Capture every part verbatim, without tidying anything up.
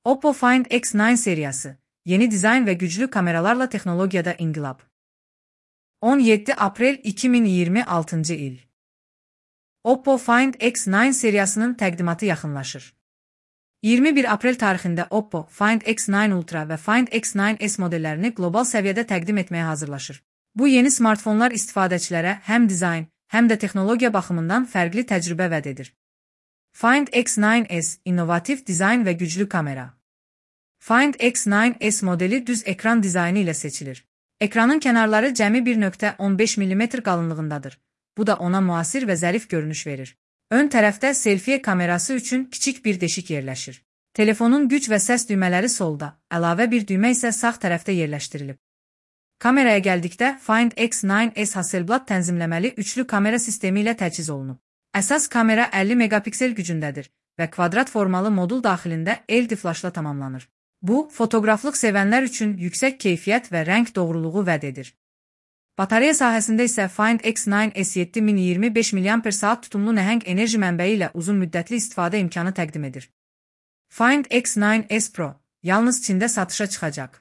Oppo Find X dokuz seriyası, yeni dizayn ve güçlü kameralarla teknolojide inkılap. on yedi April iki min iyirmi altıncı il. Oppo Find X dokuz seriyasının təqdimatı yaxınlaşır. iyirmi bir Aprel tarixində Oppo Find X dokuz Ultra və Find X dokuz S modellərini qlobal səviyyədə təqdim etməyə hazırlaşır. Bu yeni smartfonlar istifadəçilərə həm dizayn, həm də texnologiya baxımından fərqli təcrübə vəd edir. Find X dokuz S innovativ dizayn və güclü kamera. Find X dokuz S modeli düz ekran dizaynı ilə seçilir. Ekranın kənarları cəmi bir nöqtə on beş millimetr qalınlığındadır. Bu da ona müasir və zərif görünüş verir. Ön tərəfdə selfie kamerası üçün kiçik bir deşik yerləşir. Telefonun güc və səs düymələri solda, əlavə bir düymə isə sağ tərəfdə yerləşdirilib. Kameraya gəldikdə Find X dokuz S Hasselblad tənzimləməli üçlü kamera sistemi ilə təchiz olunub. Əsas kamera əlli megapiksel gücündədir və kvadrat formalı modul daxilində L D flaşla tamamlanır. Bu, fotoqraflıq sevənlər üçün yüksək keyfiyyət və rəng doğruluğu vəd edir. Batareya sahəsində isə Find X dokuz S yeddi min iyirmi beş milliamper saat tutumlu nəhəng enerji mənbəyi ilə uzun müddətli istifadə imkanı təqdim edir. Find X dokuz S Pro yalnız Çində satışa çıxacaq.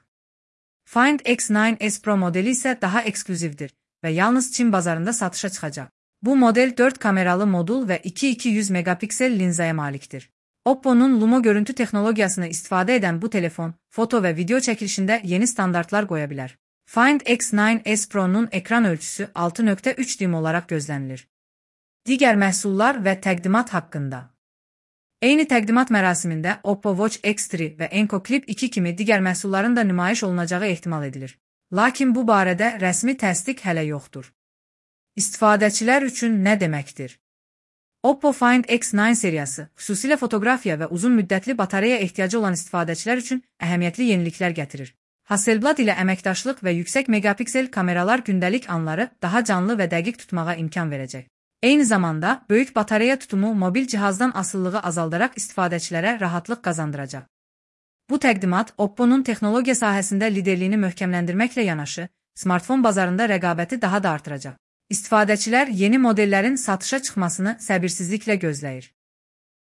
Find X dokuz S Pro modeli isə daha eksklüzivdir və yalnız Çin bazarında satışa çıxacaq. Bu model dörd kameralı modul və iki min iki yüz megapiksel linzaya malikdir. Oppo'nun Lumo görüntü texnologiyasını istifadə edən bu telefon, foto və video çəkilişində yeni standartlar qoya bilər. Find X dokuz S Pro'nun ekran ölçüsü altı nöqtə üç düym olaraq gözlənilir. Digər məhsullar və təqdimat haqqında. Eyni təqdimat mərasimində Oppo Watch X üç və Enco Clip iki kimi digər məhsulların da nümayiş olunacağı ehtimal edilir. Lakin bu barədə rəsmi təsdiq hələ yoxdur. İstifadəçilər üçün nə deməkdir? Oppo Find X dokuz seriyası, xüsusilə fotoqrafiya və uzun müddətli batareya ehtiyacı olan istifadəçilər üçün əhəmiyyətli yeniliklər gətirir. Hasselblad ilə əməkdaşlıq və yüksək megapiksel kameralar gündəlik anları daha canlı və dəqiq tutmağa imkan verəcək. Eyni zamanda, böyük batareya tutumu mobil cihazdan asılılığı azaldaraq istifadəçilərə rahatlıq qazandıracaq. Bu təqdimat Oppo'nun texnologiya sahəsində liderliyini möhkəmləndirməklə yanaşı, smartfon bazarında rəqabəti daha da artıracaq. İstifadəçilər yeni modellərin satışa çıxmasını səbirsizliklə gözləyir.